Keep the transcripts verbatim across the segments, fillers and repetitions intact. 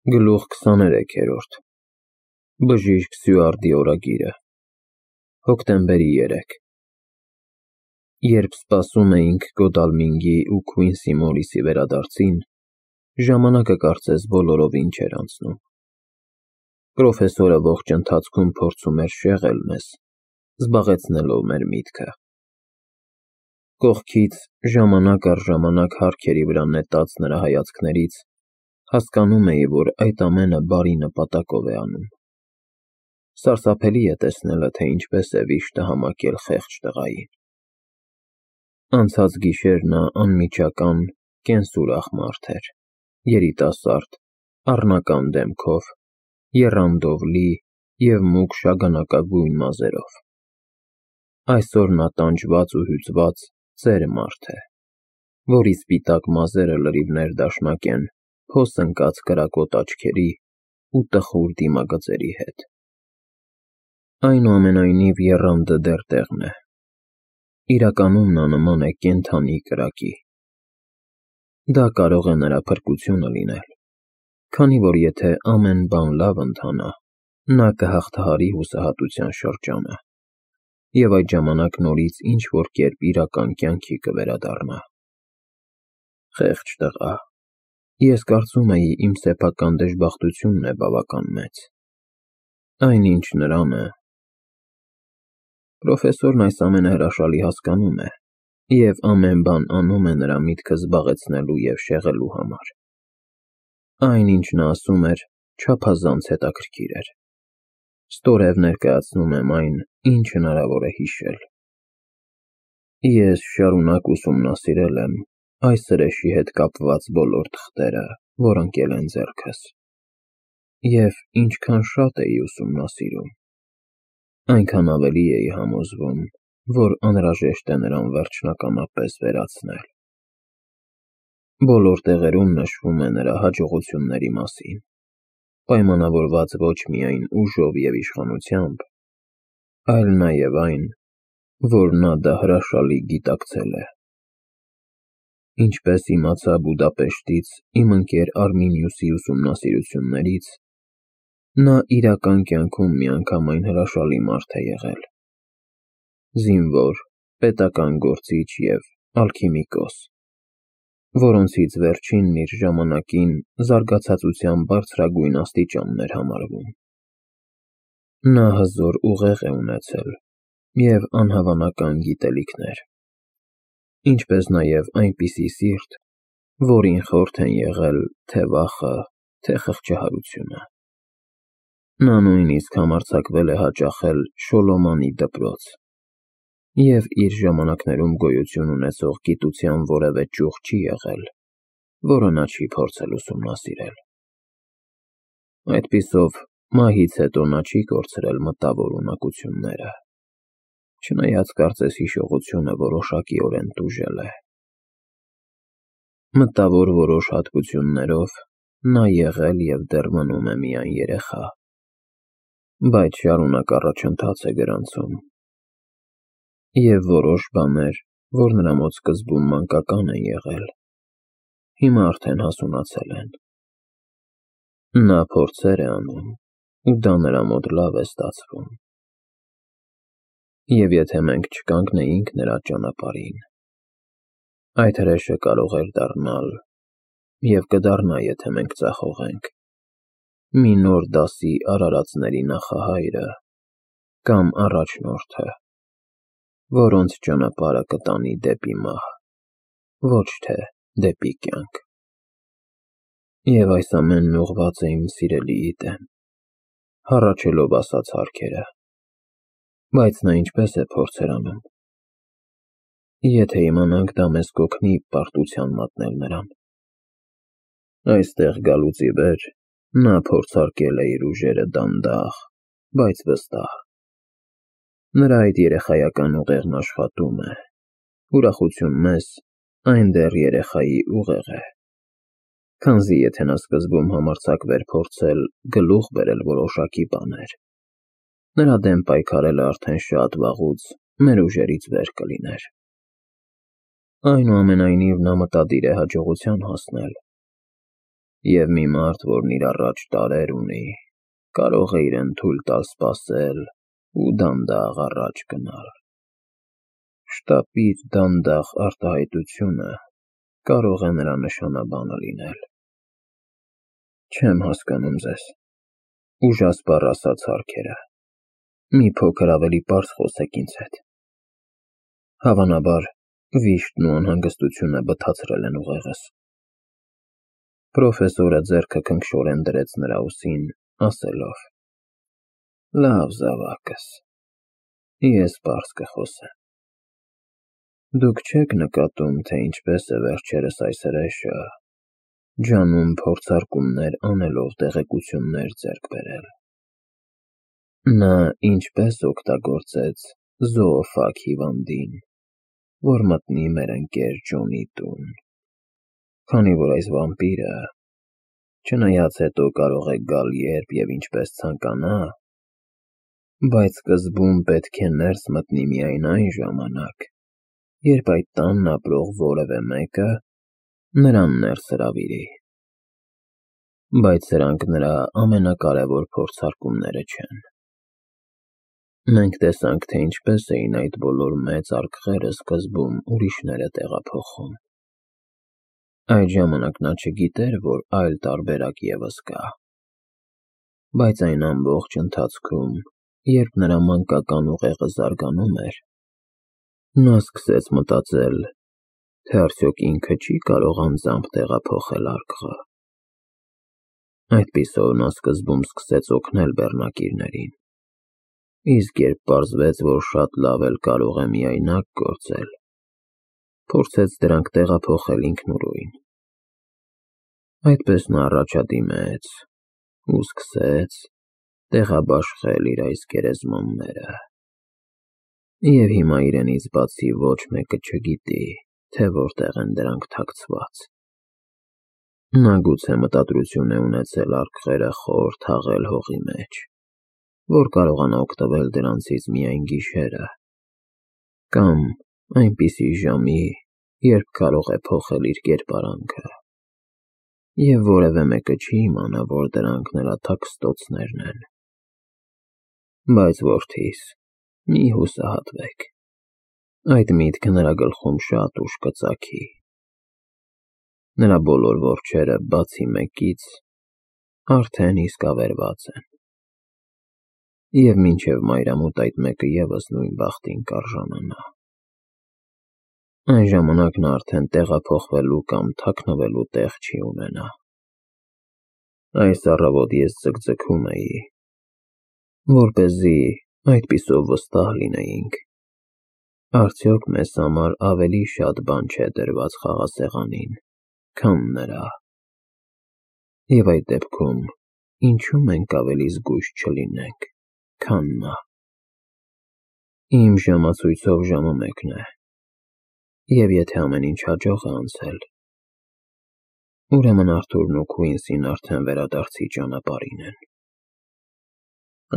Գլուխ քսաներեքերորդ Բժիշկ Սյուարտի օրագիրը Հոկտեմբերի երեքը Երբ սպասում էինք Գոդալմինգի ու Քվինսի Մորիսի վերադարձին, ժամանակը կարծես բոլորովին չէր անցնում։ Պրոֆեսորը ողջ ընթացքում փորձում էր շեղել մեզ, զբաղեցնելով մեր միտքը։ Կողքից ժամանակ առ ժամանակ հարկերի վրա նետած նրա հայացքներից հասկանում էի, որ այդ ամենը բարի նպատակով է անում։ Սարսափելի է տեսնելը, թե ինչպես է վիշտը համակել խեղճ տղային։ Անցած գիշեր նա անմիջական, կենսուրախ մարդ էր, երիտասարդ, առնական դեմքով, եռանդով լի և մուգ շագանակագույն մազերով։ Այսօր նա տանջված ու հյուծված ծեր մարդ է, որի սպիտակ մազերը լրիվ ներդաշնակ են փոս ընկած կրակոտ աչքերի ու տխուր դիմագծերի հետ։ Այնուամենայնիվ եռանդը դեռ տեղն է։ Իրականում նա նման է կենդանի կրակի։ Դա կարող է նրա փրկությունը լինել, քանի որ եթե ամեն բան լավ ընթանա, նա կհաղթահարի հուսահատության շրջանը և այդ ժամանակ նորից ինչ-որ կերպ իրական կյանքի կվերադառնա։ Խեղճ տղա, ես կարծում էի իմ սեփական դժբախտությունն է բավական մեծ, այն ինչ նրան է… Պրոֆեսորն այս ամենը հրաշալի հասկանում է և ամեն բան անում է նրա միտքը զբաղեցնելու և շեղելու համար։ Այն, ինչ նա ասում էր, չափազանց հետաքրքիր էր։ Ստորև ներկայացնում եմ այն, ինչ հնարավոր է հիշել։ Ես շարունակ ուսումնասիրել եմ այս հրեշի հետ կապված բոլոր թղթերը, որ ընկել են ձեռքս, և ինչքան շատ էի ուսումնասիրում, այնքան ավելի էի համոզվում, որ անհրաժեշտ է նրան վերջնականապես վերացնել։ Բոլոր տեղերում նշվում է նրա հաջողությունների մասին, պայմանավորված ոչ միայն ուժով և իշխանությամբ, այլ նաև այն, որ նա դա հրաշալի գիտակցել է։ Ինչպես իմացա Բուդապեշտից իմ ընկեր Արմինիուսի ուսումնասիրություններից, նա իրական կյանքում միանգամայն հրաշալի մարդ է եղել։ Զինվոր, պետական գործիչ և ալքիմիկոս, որոնցից վերջինն իր ժամանակին զարգացածության բարձրագույն աստիճանն էր համարվում։ Նա հզոր ուղեղ է ունեցել և անհավանական գիտելիքներ, ինչպես նաև այնպիսի սիրտ, որին խորթ են եղել թե վախը, թե խղճահարությունը։ Նա նույնիսկ համարձակվել է հաճախել Շոլոմանի դպրոց և իր ժամանակներում գոյություն ունեցող գիտության որևէ ճյուղ չի եղել, որը նա չի փորձել ուսումնասիրել։ Այդպիսով, մահից հետո նա չի կորցրել մտավոր ունակությունները, չնայած կարծես հիշողությունը որոշակիորեն տուժել է։ Մտավոր որոշ հատկություններով նա եղել և դեռ մնում է միայն երեխա, բայց շարունակ առաջընթաց է գրանցում, և որոշ բաներ, որ նրա մոտ սկզբում մանկական են եղել, հիմա արդեն հասունացել են։ Նա փորձեր է անում, ու դա նրա մոտ լավ է ստացվում։ Եվ եթե մենք չկանգնեինք նրա ճանապարհին, այդ հրեշը կարող էր դառնալ, և կդառնա, եթե մենք ձախողենք, մի նոր դասի արարածների նախահայրը կամ առաջնորդը, որոնց ճանապարհը կտանի դեպի մահ, ոչ թե դեպի կյանք։ Եվ այս ամենն ուղղված է իմ սիրելիի դեմ, հառաչելով ասած հարքերը, բայց նա ինչպես է փորձեր անում։ Եթե իմանանք, դա մեզ կօգնի պարտության մատնել նրան։ Այստեղ գալուց ի վեր նա փորձարկել է իր ուժերը դանդաղ, բայց վստահ։ Նրա այդ երեխայական ուղեղն աշխատում է, ուրախություն մեզ, այն դեռ երեխայի ուղեղ է, քանզի եթե նա սկզբում համարձակվեր փորձել գլուխ բերել որոշակի բաներ, նրա դեմ պայքարելը արդեն շատ վաղուց մեր ուժերից վեր կլիներ։ Այնուամենայնիվ նա մտադիր է հաջողության հասնել, Եվ մի մարդ, որն իր առաջ տարեր ունի, կարող է իրեն թույլ տալ սպասել ու դանդաղ առաջ գնալ։ Շտապից դանդաղ արտահայտությունը կարող է նրա նշանաբանը լինել։ Չեմ հասկանում ձեզ, ուժասպառ ասաց Հարքերը, մի փոքր ավելի պարզ խոսեք ինձ հետ։ Հավանաբար, վիշտն ու անհանգստությունը բթացրել են ուղեղս։ Պրոֆեսորը ձեռքը քնքշորեն դրեց նրա ուսին, ասելով. Լավ զավակս, ես պարզ կխոսեմ։ Դուք չեք նկատում, թե ինչպես է վերջերս այս հրեշը ջանում փորձարկումներ անելով տեղեկություններ ձեռք բերել։ Նա ինչպես օգտագործեց զոոֆագ հիվանդին, որ մտնի մեր ընկեր Ջոնի տուն, քանի որ այս վամպիրը, չնայած հետո կարող է գալ երբ և ինչպես ցանկանա, բայց սկզբում պետք է ներս մտնի միայն այն ժամանակ, երբ այդ տանն ապրող որևէ մեկը նրան ներս հրավիրի։ Բայց սրանք նրա ամենակարևոր փորձարկումները չեն։ Մենք տեսանք, թե ինչպես էին այդ բոլոր մեծ արկղերը սկզբում ուրիշները տեղափոխում։ Այդ ժամանակ նա չգիտեր, որ այլ տարբերակ ևս կա։ Բայց այն ամբողջ ընթացքում, երբ նրա մանկական ուղեղը զարգանում էր, նա սկսեց մտածել, թե արդյոք ինքը չի կարող անձամբ տեղափոխել արկղը։ Այդպիսով նա սկզբում սկսեց օգնել բեռնակիրներին, իսկ երբ պարզվեց, որ շատ լավ էլ կարող է միայնակ գործել, փորձեց դրանք տեղափոխել ինքնուրույն։ Այդպես նա առաջադիմեց ու սկսեց տեղաբաշխել իր այս գերեզմանները։ Եվ հիմա իրենից բացի ոչ մեկը չգիտի, թե որտեղ են դրանք թաքցված։ Նա գուցե մտադրություն է ունեցել արկղերը խոր թաղել հողի մեջ, որ կարողանա օգտվել դրանցից միայն գիշերը, կամ այնպիսի ժամի, երբ կարող է փոխել իր կերպարանքը, և որևէ մեկը չի իմանա, որ դրանք նրա թաքստոցներն են։ Բայց որդիս, մի հուսահատվեք, այդ միտքը նրա գլխում շատ ուշ կծագի։ Նրա բոլոր որջերը, բացի մեկից, արդեն իսկ ավերված են։ Եվ մինչև մայրամուտ այդ մեկը ևս նույն բախտին կարժանանա։ Այն ժամանակ նա արդեն տեղափոխվելու կամ թաքնվելու տեղ չի ունենա։ Այս առավոտ ես ձգձգում էի, որպեսզի այդպիսով վստահ լինեինք, արդյոք մեզ համար ավելի շատ բան չէ դրված խաղասեղանին, քան նրա։ Եվ այդ դեպքում ինչու մենք ավելի զգույշ չլինենք, քան նա։ Իմ ժամացույցով ժամը մեկն է, և եթե ամեն ինչ հաջող է անցել, ուրեմն Արթուրն ու Քուինսին արդեն վերադարձի ճանապարհին են։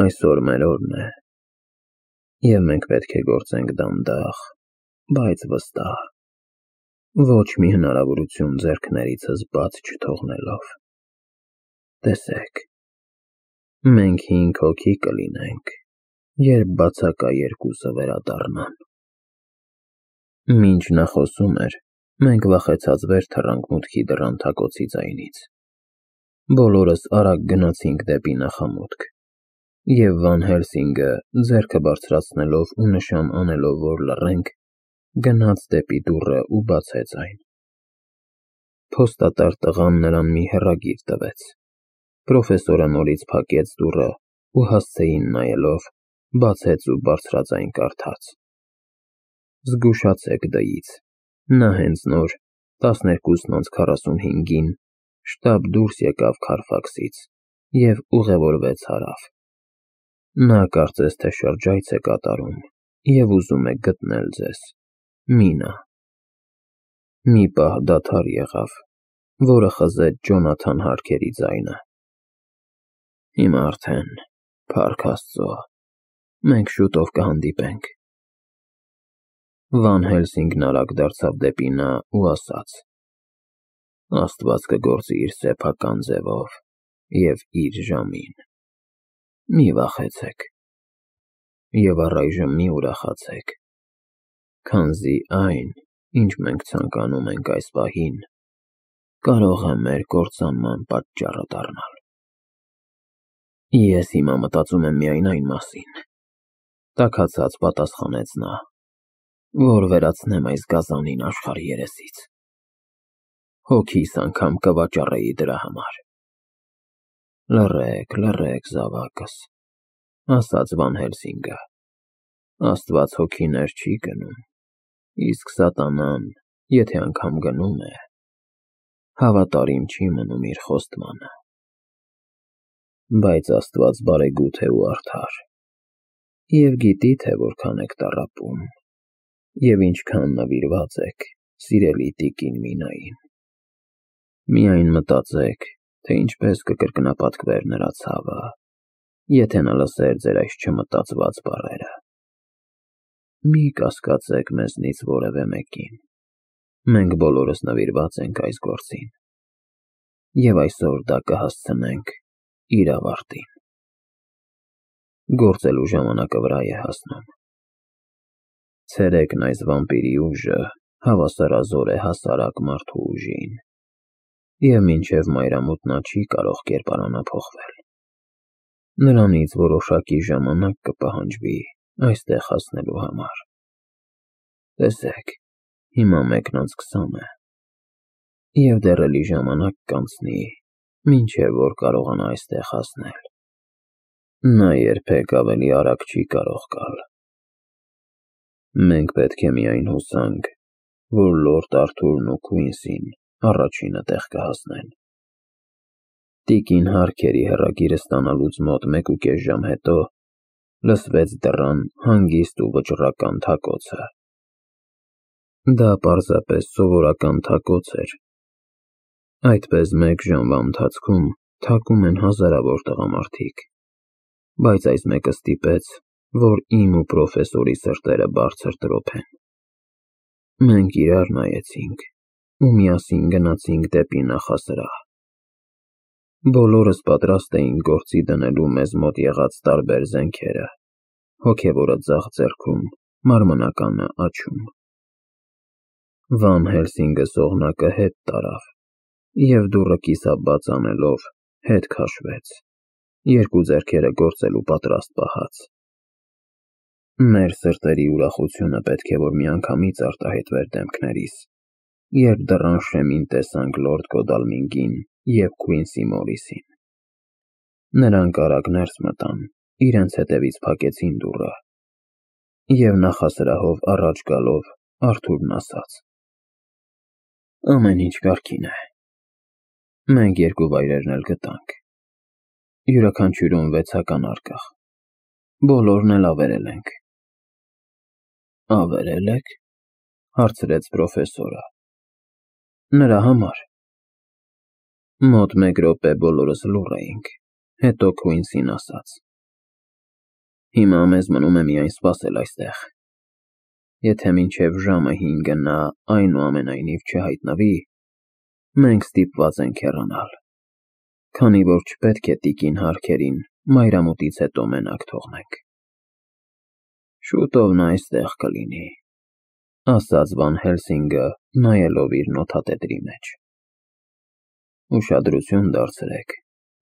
Այսօր մեր օրն է, և մենք պետք է գործենք դանդաղ, բայց վստահ, ոչ մի հնարավորություն ձեռքներիցս բաց չթողնելով։ Տեսեք, մենք հինգ հոգի կլինենք, երբ բացակա երկուսը վերադառնան։ Մինչ նա խոսում էր, մենք վախեցած վեր թռանք մուտքի դռան թակոցի ձայնից։ Բոլորս արագ գնացինք դեպի նախամուտք, և Վան Հելսինգը, ձեռքը բարձրացնելով ու նշան անելով, որ լռենք, գնաց դեպի դուռը ու բացեց այն։ Փոստատար տղան նրան մի հեռագիր տվեց։ Պրոֆեսորը նորից փակեց դուռը ու հասցեին նայելով, բացեց ու բարձրաձայն կարդաց. Զգուշացեք դից, նա հենց նոր տասներկուսն անց քառասունհինգին շտապ դուրս եկավ Քարֆաքսից և ուղևորվեց հարավ։ Նա կարծես թե շրջայց է կատարում և ուզում է գտնել ձեզ, Մինա։ Մի պահ դադար եղավ, որը խզեց Ջոնաթան Հարքերի ձայնը։ Հիմա արդեն, փառք Աստծո, մենք շուտով կհանդիպենք։ Վան Հելսինգն արագ դարձավ դեպի նա ու ասաց. Աստված կգործի իր սեփական ձևով և իր ժամին։ Մի վախեցեք և առայժմ մի ուրախացեք, քանզի այն, ինչ մենք ցանկանում ենք այս պահին, կարող է մեր կործանման պատճառը դառնալ։ Ես հիմա մտածում եմ միայն այն մասին, տաքացած պատասխանեց նա, որ վերացնեմ այս գազանին աշխարհի երեսից։ Հոգիս անգամ կվաճառեի դրա համար։ Լռեք, լռեք, զավակս, ասաց Վան Հելսինգը, Աստված հոգիներ չի գնում, իսկ սատանան, եթե անգամ գնում է, հավատարիմ չի մնում իր խոստմանը։ Բայց Աստված բարեգութ է ու արդար, և գիտի, թե որքան եք տառապում, և ինչքան նվիրված եք սիրելի տիկին Մինային։ Միայն մտածեք, թե ինչպես կկրկնապատկվեր նրա ցավը, եթե նա լսեր ձեր այս չմտածված բառերը։ Մի կասկածեք մեզնից որևէ մեկին, մենք բոլորս նվիրված ենք այս գործին, և այսօր դա կհասցնենք իր ավարտին։ Գործելու ժամանակը վրա է հասնում։ Ցերեկն այս վամպիրի ուժը հավասարազոր է հասարակ մարդու ուժին, և մինչև մայրամուտ նա չի կարող կերպարանափոխվել։ Նրանից որոշակի ժամանակ կպահանջվի այստեղ հասնելու համար։ Տեսեք, հիմա մեկն անց քսան է, և դեռ էլի ժամանակ կանցնի, մինչև որ կարողանա այստեղ հասնել։ Նա երբեք ավելի արագ չի կարող գալ։ Մենք պետք է միայն հուսանք, որ լորդ Արթուրն ու Քուինսին առաջինը տեղ կհասնեն։ Տիկին Հարքերի հեռագիրը ստանալուց մոտ մեկուկես ժամ հետո լսվեց դռան հանգիստ ու վճռական թակոցը։ Դա պարզապես սովորական թակոց էր։ Այդպես մեկ ժամվա ընթացքում թակում են հազարավոր տղամարդիկ, բայց այս մեկը ստիպեց, որ իմ ու պրոֆեսորի սրտերը բարձր տրոփեն։ Մենք իրար նայեցինք ու միասին գնացինք դեպի նախասրահ։ Բոլորս պատրաստ էինք գործի դնելու մեզ մոտ եղած տարբեր զենքերը, հոգևորը ձախ ձեռքում, մարմնականը աջում։ Վան Հելսինգը սողնակը հետ տարավ և դուռը կիսաբաց անելով հետ քաշվեց, երկու ձեռքերը գործելու պատրաստ պահած։ Մեր սրտերի ուրախությունը պետք է որ միանգամից արտահայտվեր դեմքներիս, երբ դռան շեմին տեսանք լորդ Գոդալմինգին և Քուինսի Մորիսին։ Նրանք արագ ներս մտան, իրենց հետևից փակեցին դուռը, և նախասրահով առաջ գալով Արթուրն ասաց. Ամեն ինչ կարգին է։ Մենք երկու վայրերն էլ գտանք, յուրաքանչյուրում վեցական առկախ, բոլորն էլ ավերել ենք։ Ավերել եք, հարցրեց պրոֆեսորը։ Նրա համար։ Մոտ մեկ րոպե բոլորս լուռ էինք, հետո Քուինսին ասաց. Հիմա մեզ մնում է միայն սպասել այստեղ։ Եթե մինչև ժամը հինգը նա այնուամենայնիվ չհայտնվի, մենք ստիպված ենք հեռանալ, քանի որ չպետք է տիկին Հարքերին մայրամուտից հետո մենակ թողնենք։ Շուտով նա այստեղ կլինի, ասաց Վան Հելսինգը, նայելով իր նոթատետրի մեջ։ Ուշադրություն դարձրեք,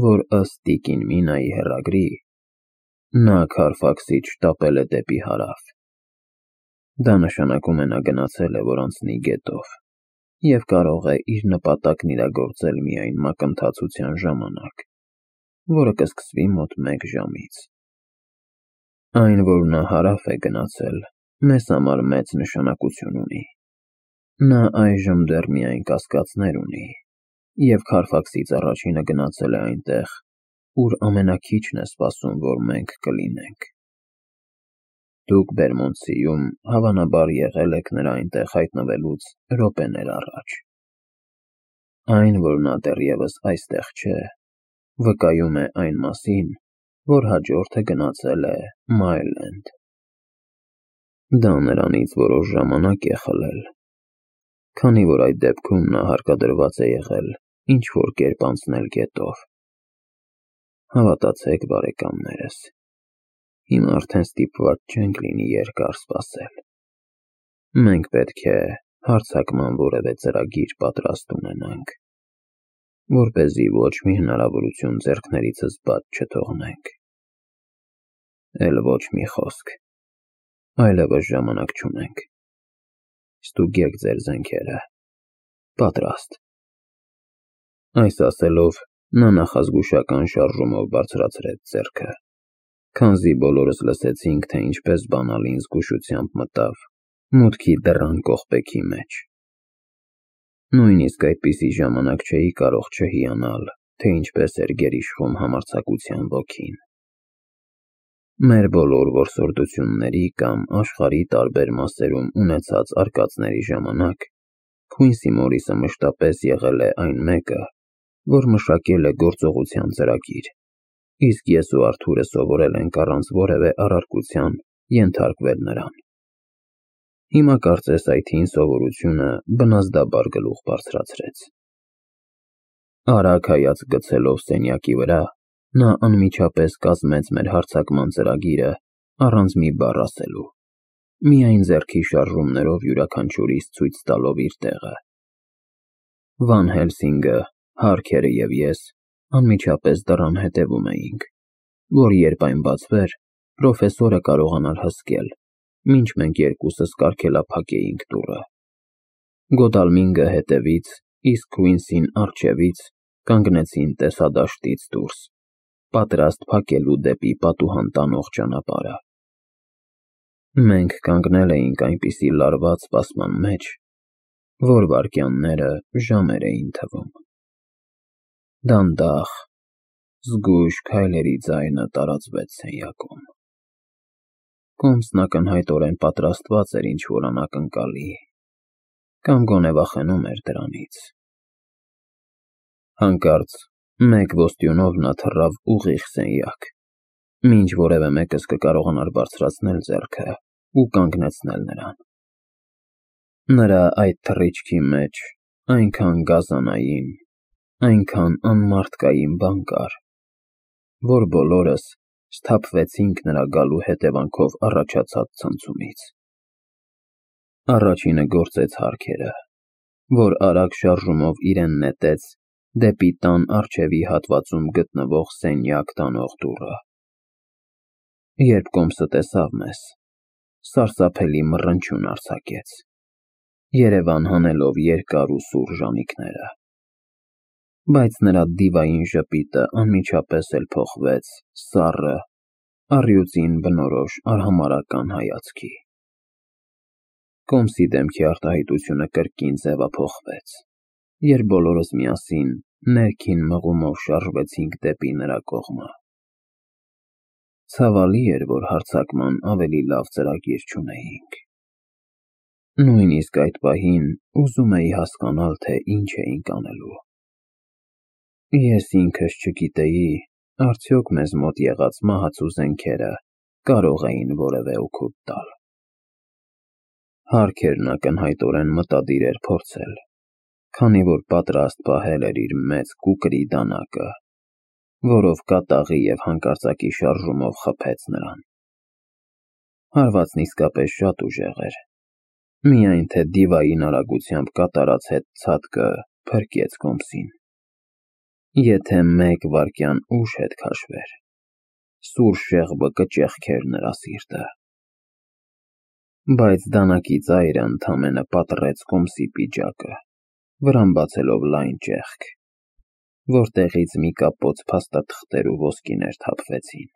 որ ըստ տիկին Մինայի հեռագրի, նա Քարֆաքսից շտապել է դեպի հարավ։ Դա նշանակում է նա գնացել է, որ անցնի գետով, և կարող է իր նպատակն իրագործել միայն մակընթացության ժամանակ, որը կսկսվի մոտ մեկ ժամից։ Այն, որ նա հարավ է գնացել, մեզ համար մեծ նշանակություն ունի։ Նա այժմ դեռ միայն կասկածներ ունի, և Քարֆաքսից առաջինը գնացել է այնտեղ, ուր ամենաքիչն է սպասում, որ մենք կլինենք։ Դուք Բերմոնտսիում հավանաբար եղել եք նրա այնտեղ հայտնվելուց րոպեներ առաջ։ Այն, որ նա դեռևս այստեղ չէ, վկայում է այն մասին, որ հաջորդը գնացել է Մայլենդ։ Դա նրանից որոշ ժամանակ է խլել, քանի որ այդ դեպքում նա հարկադրված է եղել ինչ-որ կերպ անցնել գետով։ Հավատացեք, բարեկամներս, հիմա արդեն ստիպված չենք լինի երկար սպասել։ Մենք պետք է հարձակման որևէ ծրագիր պատրաստ ունենանք, որպեսզի ոչ մի հնարավորություն ձեռքներիցս բաց չթողնենք։ Էլ ոչ մի խոսք, այլևս ժամանակ չունենք։ Ստուգեք ձեր զենքերը, պատրաստ։ Այս ասելով, նա նախազգուշական շարժումով բարձրացրեց ձեռքը, քանզի բոլորս լսեցինք, թե ինչպես բանալին զգուշությամբ մտավ մուտքի դռան կողպեքի մեջ։ Նույնիսկ այդպիսի ժամանակ չէի կարող չհիանալ, թե ինչպես էր գերիշխում համարձակության ոգին։ Մեր բոլոր որսորդությունների կամ աշխարհի տարբեր մասերում ունեցած արկածների ժամանակ Քույնսի Մորիսը մշտապես եղել է այն մեկը, որ մշակել է գործողության ծրագիր, իսկ ես ու Արթուրը սովորել ենք առանց որևէ առարկության ենթարկվել նրան։ Հիմա կարծես այդ հին սովորությունը բնազդաբար գլուխ բարձրացրեց։ Արագ հայացք գցելով սենյակի վրա, նա անմիջապես կազմեց մեր հարձակման ծրագիրը առանց մի բառ ասելու, միայն ձեռքի շարժումներով յուրաքանչյուրիս ցույց տալով իր տեղը։ Վան Հելսինգը, Հարքերը և ես անմիջապես դռան հետևում էինք, որ երբ այն բացվեր, պրոֆեսորը կարողանար հսկել, մինչ մենք երկուսս կարգելափակեինք դուռը։ Գոդալմինգը հետևից, իսկ Քույնսին առջևից կանգնեցին տեսադաշտից դուրս, պատրաստ փակելու դեպի պատուհան տանող ճանապարհը։ Մենք կանգնել էինք այնպիսի լարված սպասման մեջ, որ վայրկյանները ժամեր էին թվում։ Դանդաղ, զգույշ քայլերի ձայնը տարածվեց սենյակում։ Կոմսն ակնհայտորեն պատրաստված էր ինչ-որ անակնկալի, կամ գոնե վախենում էր դրանից։ Հանկարծ մեկ ոստյունով նա թռավ ուղիղ սենյակ, մինչ որևէ մեկս կկարողանար բարձրացնել ձեռքը ու կանգնեցնել նրան։ Նրա այդ թռիչքի մեջ այնքան գազանային, այնքան անմարդկային բան կար, որ բոլորս սթափվեցինք նրա գալու հետևանքով առաջացած ցնցումից։ Առաջինը գործեց Հարքերը, որ արագ շարժումով իրեն նետեց դեպի տան առջևի հատվածում գտնվող սենյակ տանող դուռը։ Երբ Կոմսը տեսավ մեզ, սարսափելի մռնչյուն արձակեց, երևան հանելով երկար ու սուր ժանիքները։ Բայց նրա դիվային ժպիտը անմիջապես էլ փոխվեց սառը, առյուծին բնորոշ արհամարհական հայացքի։ Կոմսի դեմքի արտահայտությունը կրկին ձևափոխվեց, երբ բոլորս միասին ներքին մղումով շարժվեցինք դեպի նրա կողմը։ Ցավալի էր, որ հարձակման ավելի լավ ծրագիր չունեինք։ Նույնիսկ այդ պահին ուզում էի հասկանալ, թե ինչ էինք անելու։ Ես ինքս չգիտեի, արդյոք մեզ մոտ եղած մահացու զենքերը կարող էին որևէ օգուտ տալ։ Հարքերն ակնհայտորեն մտադիր էր փորձել, քանի որ պատրաստ պահել էր իր մեծ կուկրի դանակը, որով կատաղի և հանկարծակի շարժումով խփեց նրան։ Հարվածն իսկապես շատ ուժեղ էր, միայն թե դիվային արագությամբ կատարած հետ ցատկը փրկեց Կոմսին։ Եթե մեկ վայրկյան ուշ հետ քաշվեր, սուր շեղբը կճեղքեր նրա սիրտը։ Բայց դանակի ծայրը ընդամենը պատռեց Կոմսի պիջակը, վրան բացելով լայն ճեղք, որտեղից մի կապոց փաստաթղթեր ու ոսկիներ թափվեցին։